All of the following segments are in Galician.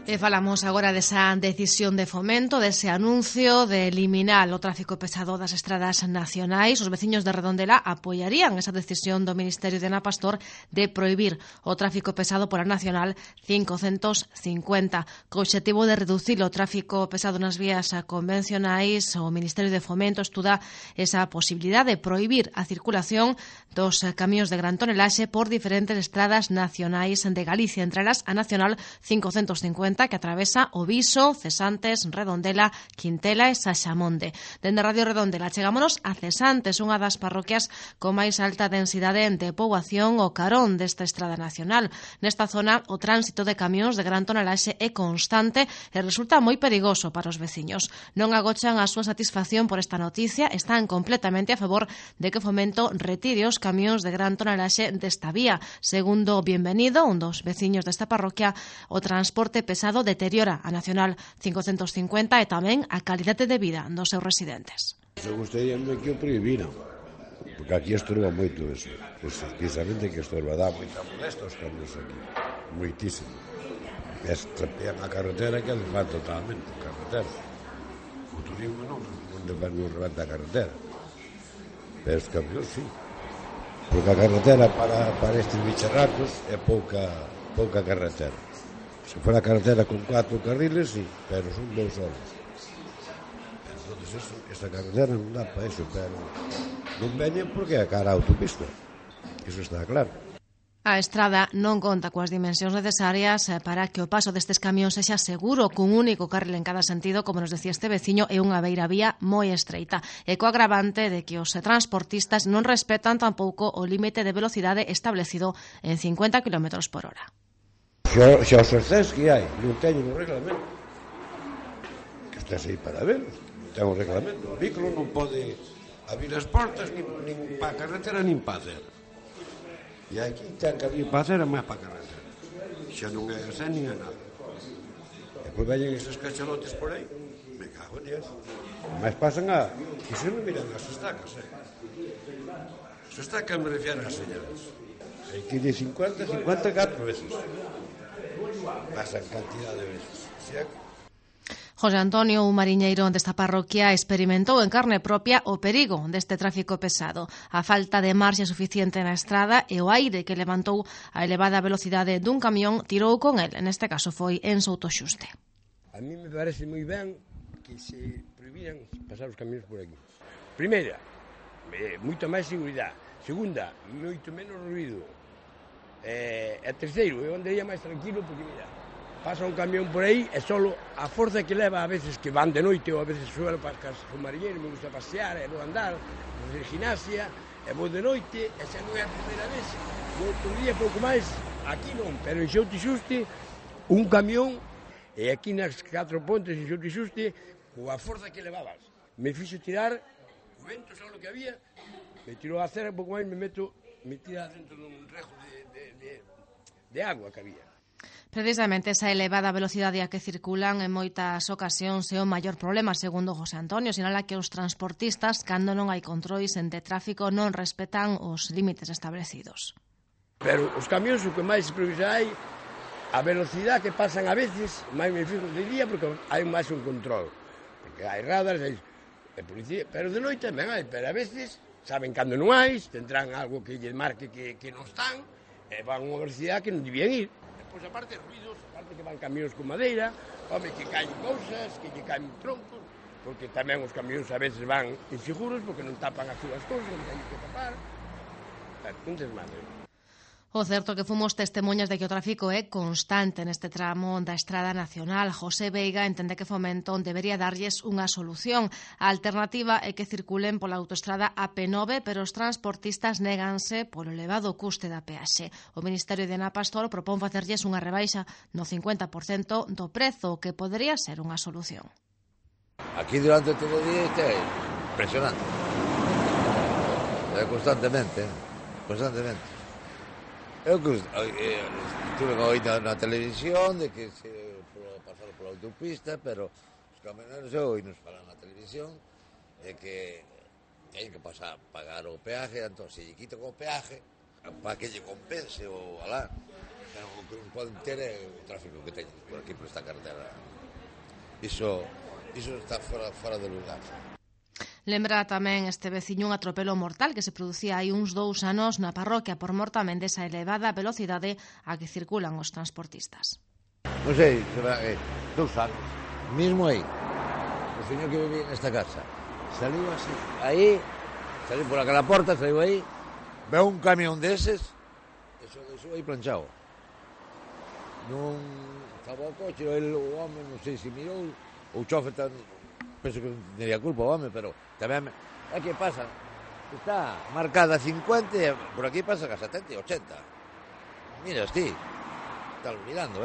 E falamos agora desa decisión de Fomento, dese anuncio de eliminar o tráfico pesado das estradas nacionais. Os veciños de Redondela apoiarían esa decisión do Ministerio de Ana Pastor de prohibir o tráfico pesado pola Nacional 550. Co obxectivo de reducir o tráfico pesado nas vías convencionais, o Ministerio de Fomento estuda esa posibilidade de prohibir a circulación dos camións de gran tonelaxe por diferentes estradas nacionais de Galicia, entre elas a Nacional 550, que atravesa o Viso, Cesantes, Redondela, Quintela e Saxamonde. Dende Radio Redondela chegámonos a Cesantes, unha das parroquias con máis alta densidade de poboación o carón desta estrada nacional. Nesta zona, o tránsito de camións de gran tonelaxe é constante e resulta moi perigoso para os veciños. Non agochan a súa satisfacción por esta noticia, están completamente a favor de que Fomento retire os camións de gran tonelaxe desta vía. Segundo Bienvenido, un dos veciños desta parroquia, o transporte pesado deteriora a Nacional 550 e tamén a calidade de vida dos seus residentes. Eu gustaría que o prohibiran, porque aquí estorba moito eso, precisamente que estorba, dá moita molesta os cambios aquí, moitísimo. Estropean a carretera que desvan totalmente a carretera. O turismo non rebenta a carretera, pero os cambios sí, porque a carretera para estes bicharracos é pouca carretera. Se fuera carretera con 4 carriles, sí, pero son 2 horas. Entonces, esta carretera non dá para eso, pero non veñen porque é cara a autopista. Eso está claro. A estrada non conta coas dimensións necesarias para que o paso destes camións sexa seguro, cun único carril en cada sentido, como nos decía este veciño, e unha beiravía moi estreita. E co agravante de que os transportistas non respetan tampouco o límite de velocidade establecido en 50 km por hora. Xa os ascens que hai, non teñen o reglamento. Que estés aí para ver, non ten o reglamento. O vehículo non pode abrir as portas nin para a carretera nin para a acera. E aquí ten que abrir para a acera máis para a carretera. Xa non é ascens nin é nada. E pois veñen esos cachalotes por aí, me cago en Dios. Mas pasan a... E se non miran as estacas, As estacas me refieren as señales. Hai que ir 54 veces. Pasan cantidad de veces. José Antonio, un mariñeiro desta parroquia, experimentou en carne propia o perigo deste tráfico pesado. A falta de marxe suficiente na estrada e o aire que levantou a elevada velocidade dun camión tirou con el. Neste caso foi en Soutoxuste. A mí me parece moi ben que se prohibiran pasar os camións por aquí. Primeira, moita máis seguridade. Segunda, moito menos ruido. E terceiro, eu andaría máis tranquilo porque, mira, pasa un camión por aí e solo a forza que leva a veces que van de noite ou a veces suelo para casa con mariñeiro, me gusta pasear e vou andar, fazer gimnasia e vou de noite e xa non é a primeira vez, outro día pouco máis, aquí non, pero en Soutoxuste un camión e aquí nas 4 pontes en Soutoxuste coa forza que levabas me fixo tirar o vento, xa o que había, me tirou a cera, pouco máis me tira dentro dun rejo de agua que había. Precisamente esa elevada velocidade a que circulan en moitas ocasións é o maior problema, segundo José Antonio. Sinala que os transportistas, cando non hai controis de tráfico, non respetan os límites establecidos. Pero os camións o que máis provisa hai, a velocidade que pasan a veces, máis me fijo de día porque hai máis un control. Porque hai radares, hai policía, pero de noite tamén hai, pero a veces saben cando non hai, tendrán algo que lle marque que non están, e van a unha velocidade que non debían ir. Depois, aparte, ruidos, aparte que van camións con madeira, home, que caen cousas, que lle caen troncos, porque tamén os camións a veces van inseguros, porque non tapan as súas cousas, non teñen que tapar. Un desmadre. O certo que fomos testemunhas de que o tráfico é constante neste tramo da Estrada Nacional. José Veiga entende que Fomento debería darlles unha solución. A alternativa é que circulen pola autoestrada AP9, pero os transportistas néganse polo elevado custe da peaxe. O Ministerio de Ana Pastor propón facerlles unha rebaixa no 50% do prezo, que podería ser unha solución. Aquí durante todo o día é impresionante. Constantemente. Eu que estuve oído na televisión de que se pasar pola autopista, pero os camioneros eu oí nos falar na televisión de que teñen que pasar, pagar o peaje, entón se lle quitan o peaje para que lle compense o alá. o que poden ter é o tráfico que teñen por aquí, por esta carretera. Iso está fora de lugar. Lembra tamén este veciño un atropelo mortal que se producía hai uns 2 anos na parroquia por mor tamén desa elevada velocidade a que circulan os transportistas. Non sei, será 2 anos, mismo aí, o señor que vivía nesta casa, saliu así, aí, saliu por aquela porta, saliu aí, veo un camión deses, eso deixou aí planchado. Non estaba o coche, o home, non sei se mirou, o chofe tan, penso que non teria culpa o home, pero tamén, é que pasa, está marcada 50 e por aquí pasa a 70 e 80. Miras ti, estás mirando,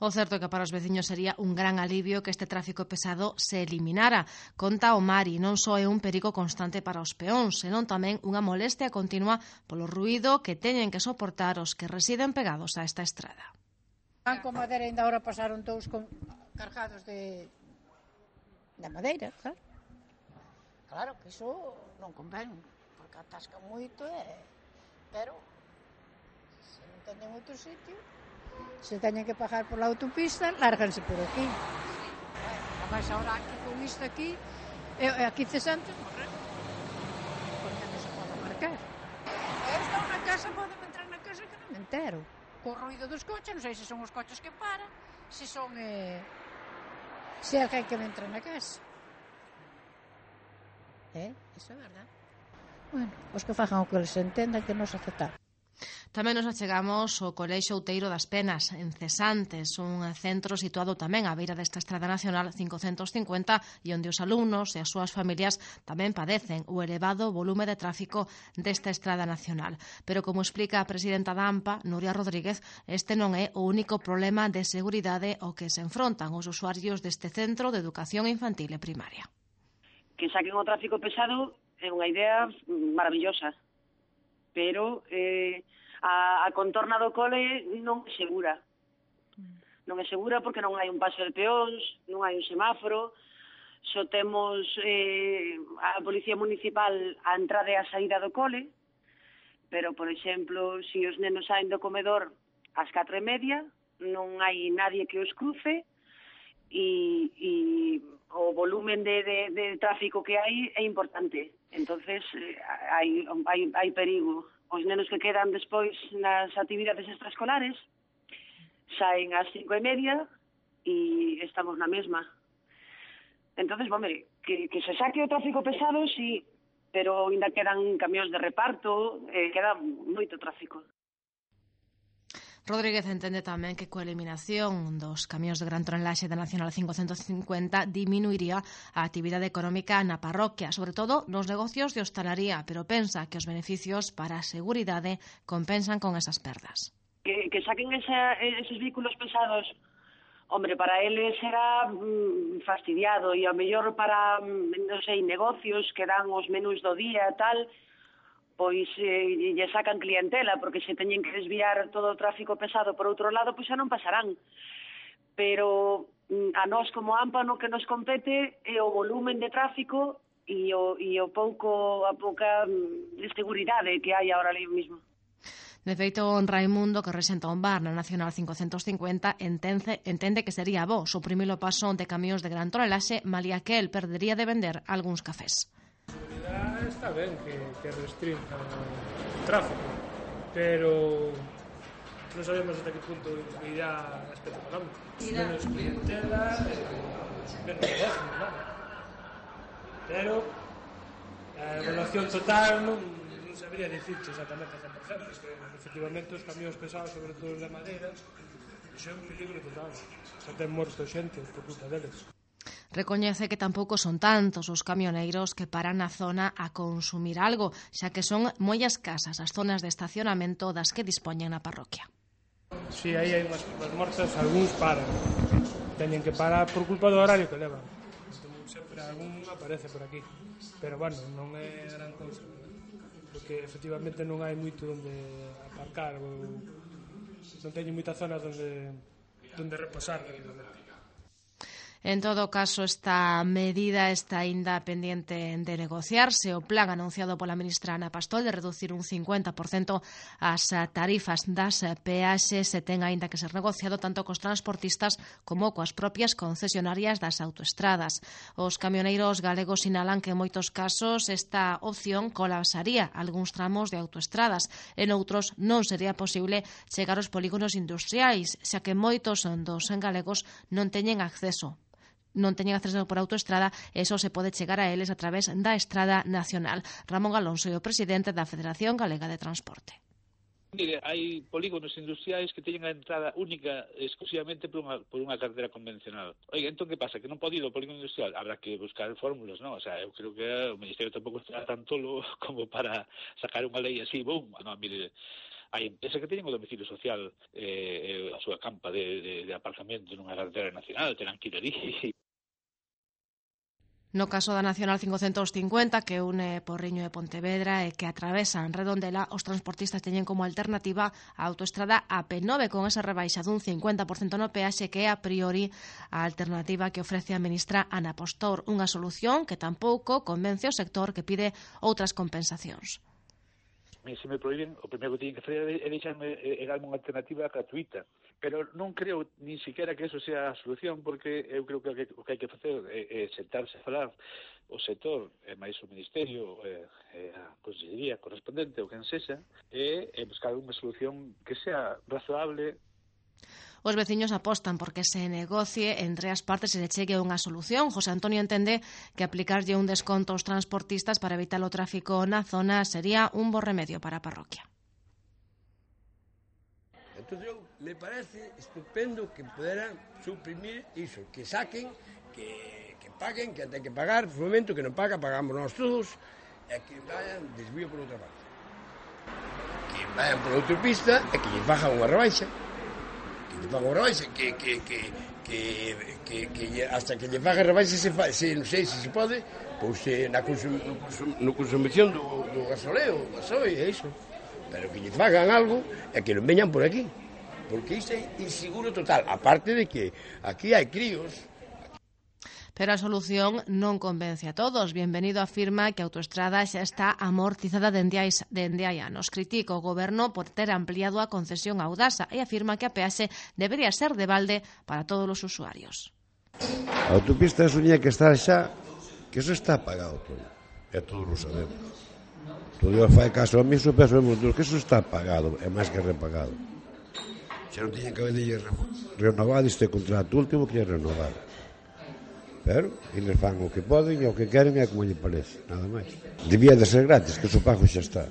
O certo é que para os veciños sería un gran alivio que este tráfico pesado se eliminara. Conta o Mari, non só é un perigo constante para os peóns, senón tamén unha molestia continua polo ruído que teñen que soportar os que residen pegados a esta estrada. Van con madeira, ainda ahora pasaron todos cargados de madeira, claro. Claro que iso non convén, porque atasca moito, pero se non teñen outro sitio, se teñen que pagar pola autopista, lárganse por aquí. Ademais, ahora aquí con isto aquí, aquí cesantes morrer, porque non se pode marcar. Eu estou na casa, poden entrar na casa que non me entero. Co ruido dos coches, non sei se son os coches que paran, se son se é alguén que me entra na casa. Iso é verdad. Bueno, os que fagan o que les entendan, que nos aceptar. Tamén nos achegamos ao Colexio Outeiro das Penas, en Cesantes, un centro situado tamén á beira desta Estrada Nacional 550 e onde os alumnos e as súas familias tamén padecen o elevado volume de tráfico desta Estrada Nacional. Pero como explica a presidenta da AMPA, Nuria Rodríguez, este non é o único problema de seguridade ao que se enfrontan os usuarios deste centro de educación infantil e primaria. Que saquen o tráfico pesado é unha idea maravillosa, pero a contorna do cole non é segura. Non é segura porque non hai un paso de peóns, non hai un semáforo, só temos a Policía Municipal a entrada e a saída do cole, pero, por exemplo, se os nenos saen do comedor ás 4:30, non hai nadie que os cruce e o volumen de tráfico que hai é importante. Entonces, hai perigo. Os nenos que quedan despois nas actividades extraescolares saen ás 5:30 e estamos na mesma. Entonces, que se saque o tráfico pesado, sí, pero ainda quedan camións de reparto, queda moito tráfico. Rodríguez entende tamén que coa eliminación dos camións de gran tonelaxe da Nacional 550 diminuiría a actividade económica na parroquia, sobre todo nos negocios de hostalaría, pero pensa que os beneficios para a seguridade compensan con esas perdas. Que saquen esos vehículos pesados, para eles será fastidiado e ao mellor para, non sei, negocios que dan os menús do día e tal, pois lle sacan clientela, porque se teñen que desviar todo o tráfico pesado por outro lado, pois xa non pasarán. Pero a nós como AMPA no que nos compete é o volumen de tráfico e a pouca seguridade que hai agora ali mesmo. De feito, Raimundo, que resenta un bar na Nacional 550, entende que sería bo suprimir o paso de camións de gran tonelaxe, malia que el perdería de vender algúns cafés. Está ben que restrinja o tráfico, pero non sabemos até que punto irá a aspecto económico. Menos clientela, menos negocio, nada. Pero a evaluación total non sabría dicirte exactamente a 100%, porque efectivamente os camións pesados, sobre todo os de madeira, iso é un peligro total. Xa ten morto xente por culpa deles. Recoñece que tampouco son tantos os camioneiros que paran na zona a consumir algo, xa que son moi escasas as zonas de estacionamento das que dispoñen na parroquia. Si, aí hai unhas mortas, algúns paran. Teñen que parar por culpa do horario que levan. Entón, sempre algún aparece por aquí. Pero, non é gran cousa, porque efectivamente non hai moito onde aparcar ou non teñen moitas zonas onde reposar. En todo caso, esta medida está aínda pendente de negociarse. O plan anunciado pola ministra Ana Pastor de reducir un 50% as tarifas das peaxes se ten aínda que ser negociado tanto cos transportistas como coas propias concesionarias das autoestradas. Os camioneiros galegos sinalan que en moitos casos esta opción colapsaría algúns tramos de autoestradas e noutros non sería posible chegar aos polígonos industriais, xa que moitos dos galegos non teñen acceso por autoestrada e só se pode chegar a eles a través da Estrada Nacional. Ramón Alonso é o presidente da Federación Galega de Transporte. Mire, hai polígonos industriais que teñen a entrada única exclusivamente por unha carretera convencional. Oiga, entón que pasa? Que non pode ir ao polígono industrial? Habrá que buscar fórmulas, non? O sea, eu creo que o Ministerio tampouco está tan tolo como para sacar unha lei así, boom. Non, mire, hai empresas que teñen o domicilio social a súa campa de aparcamento nunha carretera nacional, terán que ir ali. No caso da Nacional 550, que une Porriño e Pontevedra e que atravesan Redondela, os transportistas teñen como alternativa a autoestrada AP9 con esa rebaixa dun 50% no peaxe que é a priori a alternativa que ofrece a ministra Ana Pastor, unha solución que tampouco convence o sector que pide outras compensacións. Se me prohíben, o primeiro que teñen que fazer é deixarme darme unha alternativa gratuita. Pero non creo nin siquiera que eso sea a solución, porque eu creo que o que hai que facer é sentarse a falar o sector, máis o Ministerio, a Consellería correspondente, o quen sexa, e buscar unha solución que sea razoable. Os veciños apostan porque se negocie entre as partes e se chegue a unha solución. José Antonio entende que aplicarlle un desconto aos transportistas para evitar o tráfico na zona sería un bo remedio para a parroquia. Entón, me parece estupendo que poderan suprimir iso, que saquen, que paguen, que ten que pagar, no momento que non paga, pagamos nós todos, e que vayan desvío por outra parte. Que vayan por outra pista e que lle fagan unha rebaixa. Que lle fagan unha rebaixa, que hasta que lle fagan rebaixa se non sei se pode, pois no consumición do gasoleo, gasoil, é iso. Pero que lle fagan algo e que non veñan por aquí. Porque isto é inseguro total. Aparte de que aquí hai críos. Pero a solución non convence a todos. Bienvenido afirma que a autoestrada xa está amortizada dende hai anos. Critica o goberno por ter ampliado a concesión a Audasa e afirma que a peaxe debería ser de balde para todos os usuarios. A autopista soña que está xa, que eso está pagado todo. E todos lo sabemos. Todo fai caso a mí, eso pensamos todos que eso está pagado, é máis que repagado. Xa non tiñen que haber renovado este contrato último que é renovar. Pero eles fan o que poden e o que queren é como lle parece, nada máis. Debía de ser gratis, que o pago xa está.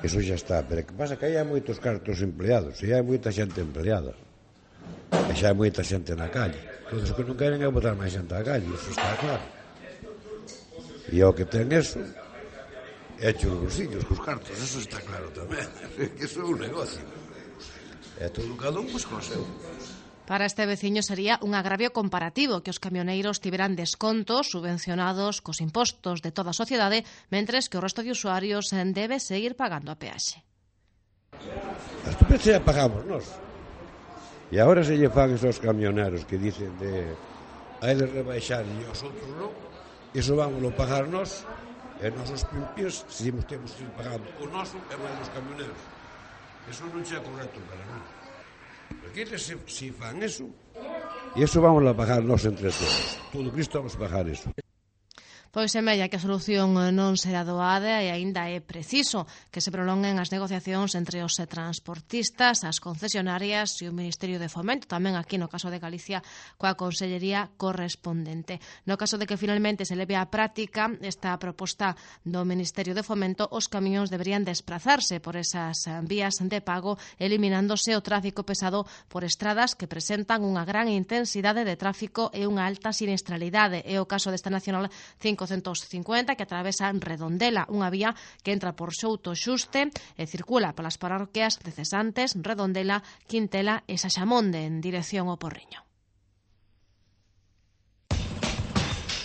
Eso xa está, pero que pasa que aí hai moitos cartos empleados, e hai moita xente empleada. E xa hai moita xente na calle. Todos os que non queren é botar máis xente na calle, eso está claro. E o que ten eso é hecho os bolsillos cos cartos, eso está claro tamén. Que eso é un negocio. É todo cada un, pois, con o seu. Para este veciño sería un agravio comparativo que os camioneiros tiveran descontos subvencionados cos impostos de toda a sociedade, mentres que o resto de usuarios debe seguir pagando a peaxe. As peaxe xa pagamos nós. E agora se lle fan esos camioneros que dicen de hai de rebaixar e os outros non, iso vámoslo pagar nós, e nosos pimpios, se temos que ir pagando o noso e máis os camioneros. Eso non é correcto para nós. Porque eles se fan eso, e eso vamos a pagar nós entre todos. Todo Cristo vamos a pagar eso. Pois semella que a solución non será doada e aínda é preciso que se prolonguen as negociacións entre os transportistas, as concesionarias e o Ministerio de Fomento, tamén aquí no caso de Galicia coa Consellería correspondente. No caso de que finalmente se leve á práctica esta proposta do Ministerio de Fomento, os camións deberían desplazarse por esas vías de pago, eliminándose o tráfico pesado por estradas que presentan unha gran intensidade de tráfico e unha alta siniestralidade. É o caso desta Nacional 550 que atravesa Redondela, unha vía que entra por Souto Xuste e circula polas parroquias de Cesantes, Redondela, Quintela e Saxamonde en dirección ao Porriño.